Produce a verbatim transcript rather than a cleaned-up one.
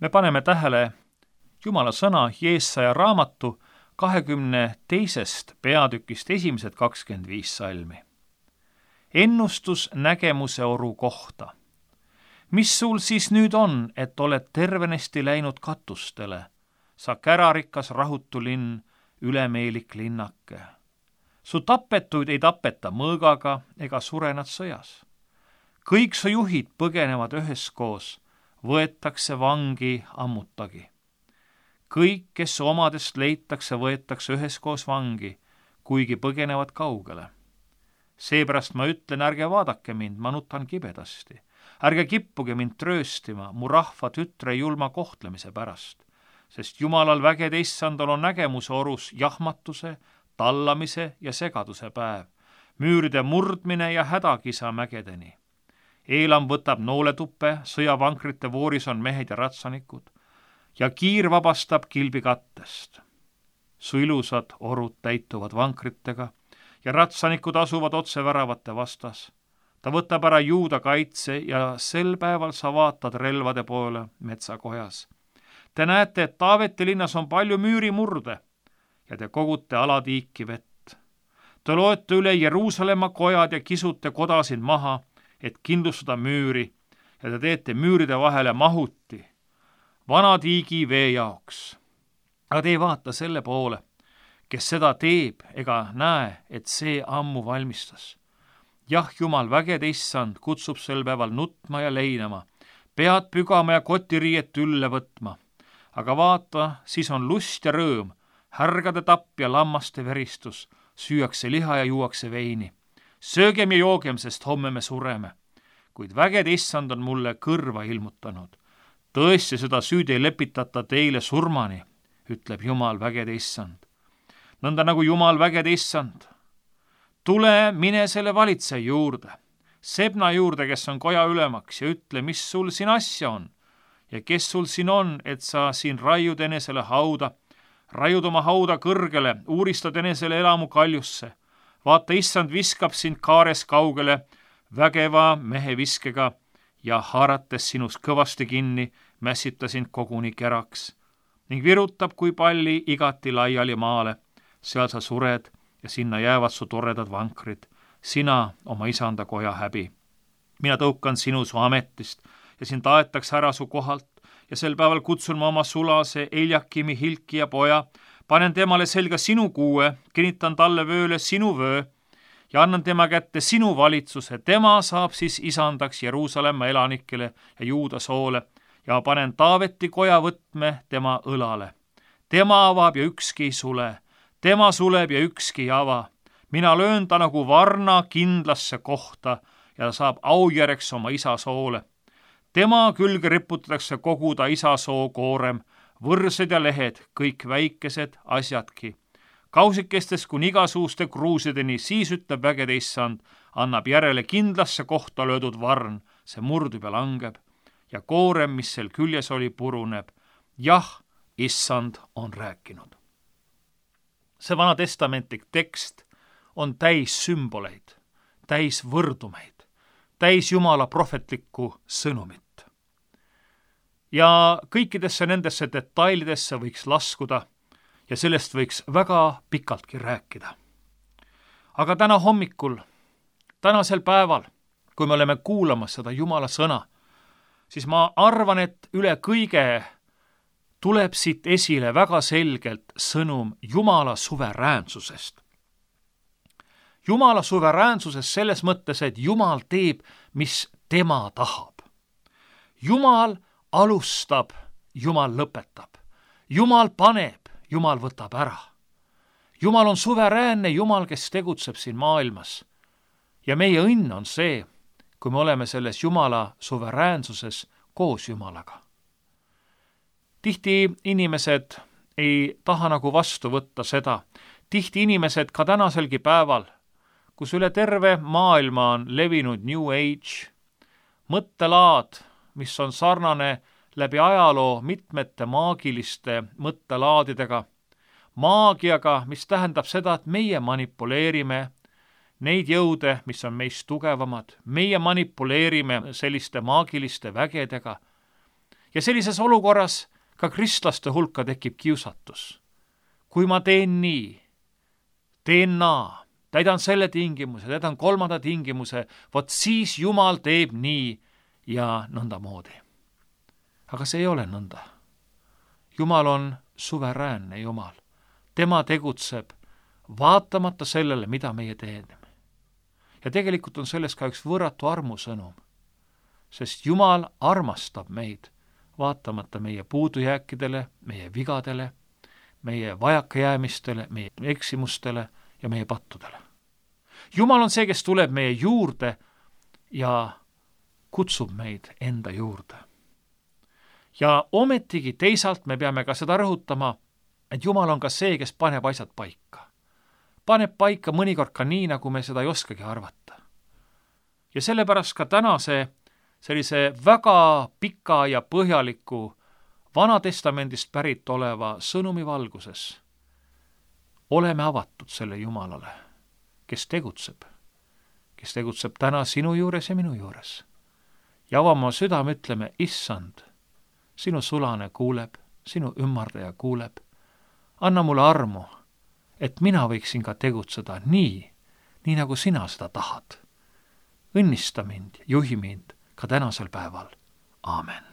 me paneme tähele Jumala sõna Jeesaja raamatu kahekümne teisest peatükist esimesed kakskümmend viis salmi. Ennustus nägemuse oru kohta. Mis sul siis nüüd on, et oled tervenesti läinud katustele, sa kärarikas rahutu linn, ülemeelik linnake. Su tapetuid ei tapeta mõõgaga ega surenad sõjas. Kõik su juhid põgenevad üheskoos, võetakse vangi ammutagi. Kõik, kes omadest leitakse, võetakse üheskoos vangi, kuigi põgenevad kaugele. Seepärast ma ütlen, ärge vaadake mind, ma nutan kibedasti. Ärge kippuge mind trööstima mu rahva tütre julma kohtlemise pärast, sest Jumalal vägede issandal on nägemuse orus jahmatuse, tallamise ja segaduse päev, müüride murdmine ja hädakisa mägedeni. Eelam võtab nooletuppe, sõjavankrite vooris on mehed ja ratsanikud, ja kiir vabastab kilbi kattest. Su ilusad orud täituvad vankritega ja ratsanikud asuvad otse väravate vastas. Ta võtab ära Juuda kaitse ja sel päeval sa vaatad relvade poole metsakojas. Te näete, et Taaveti linnas on palju müürimurde ja te kogute alatiiki vett. Te loete üle Jeruusalemma kojad ja kisute kodasid maha, et kindlustada müüri ja te teete müüride vahele mahuti, vana tiigi vee jaoks. Aga te ei vaata selle poole, kes seda teeb ega näe, et see ammu valmistas. Jah, Jumal vägede issand kutsub sel päeval nutma ja leinama, pead pügama ja kotiriiet ülle võtma. Aga vaata, siis on lust ja rõõm, härgade tapp ja lammaste veristus, süüakse liha ja juuakse veini. Söögem ja joogem, sest homme me sureme. Kuid vägede issand on mulle kõrva ilmutanud. Tõesti seda süüd ei lepitata teile surmani, ütleb Jumal vägede issand. Nõnda nagu Jumal vägede issand. Tule, mine selle valitseja juurde, Sebna juurde, kes on koja ülemaks, ja ütle, mis sul siin asja on ja kes sul siin on, et sa siin raiud enesele hauda, raiud oma hauda kõrgele, uuristad enesele elamu kaljusse. Vaata, issand viskab sind kaares kaugele vägeva mehe viskega ja haarates sinust kõvasti kinni, mässita sind koguni keraks ning virutab kui palli igati laiali maale. Seal sa sured ja sinna jäävad su toredad vankrid, sina oma isanda koja häbi. Mina tõukan sinu su ametist ja sind aetakse ära su kohalt ja sel päeval kutsun ma oma sulase Eljakimi Hilki ja poja, panen temale selga sinu kuue, kinnitan talle vööle sinu vöö ja annan tema kätte sinu valitsuse. Tema saab siis isandaks Jeruusalemma elanikele ja Juuda soole ja panen Taaveti koja võtme tema õlale. Tema avab ja ükski ei sule. Tema suleb ja ükski ei ava. Mina löön ta nagu varna kindlasse kohta ja saab aujärjeks oma isa soole. Tema külge riputatakse kogu ta isa soo koorem, võrsed ja lehed, kõik väikesed asjadki. Kausikestest kuni igasuuste kruusideni, siis ütleb vägede issand, annab järele kindlasse kohta löödud varn, see murdub ja langeb ja koorem, mis sel küljes oli, puruneb. Jah, issand on rääkinud. See vana testamentlik tekst on täis sümboleid, täis võrdumeid, täis Jumala prohvetlikku sõnumit. Ja kõikidesse nendesse detailidesse võiks laskuda ja sellest võiks väga pikaltki rääkida. Aga täna hommikul, tänasel päeval, kui me oleme kuulamas seda Jumala sõna, siis ma arvan, et üle kõige tuleb siit esile väga selgelt sõnum Jumala suveräänsusest. Jumala suveräänsusest selles mõttes, et Jumal teeb, mis tema tahab. Jumal alustab, Jumal lõpetab. Jumal paneb, Jumal võtab ära. Jumal on suveräänne Jumal, kes tegutseb siin maailmas. Ja meie õnn on see, kui me oleme selles Jumala suveräänsuses koos Jumalaga. Tihti inimesed ei taha nagu vastu võtta seda. Tihti inimesed ka tänaselgi päeval, kus üle terve maailma on levinud New Age, mõttelaad, mis on sarnane läbi ajaloo mitmete maagiliste mõttelaadidega, maagiaga, mis tähendab seda, et meie manipuleerime neid jõude, mis on meist tugevamad, meie manipuleerime selliste maagiliste vägedega ja sellises olukorras ka kristlaste hulka tekib kiusatus. Kui ma teen nii, teen naa, täidan selle tingimuse, täidan kolmanda tingimuse, vot siis Jumal teeb nii ja nõnda moodi. Aga see ei ole nõnda. Jumal on suveräänne Jumal. Tema tegutseb vaatamata sellele, mida meie teeme. Ja tegelikult on selles ka üks võrratu armusõnum, sest Jumal armastab meid vaatamata meie puudujääkidele, meie vigadele, meie vajakajäämistele, meie eksimustele ja meie pattudele. Jumal on see, kes tuleb meie juurde ja kutsub meid enda juurde. Ja ometigi teisalt me peame ka seda rõhutama, et Jumal on ka see, kes paneb asjad paika. Paneb paika mõnikord ka nii, nagu me seda ei oskagi arvata. Ja sellepärast ka tänase sellise väga pika ja põhjaliku Vanatestamendist pärit oleva sõnumi valguses oleme avatud selle Jumalale, kes tegutseb, kes tegutseb täna sinu juures ja minu juures. Ja avama südame ütleme, issand, sinu sulane kuuleb, sinu ümmardaja kuuleb. Anna mulle armu, et mina võiksin ka tegutseda nii, nii nagu sina seda tahad. Õnnista mind, juhi mind ka tänasel päeval. Aamen.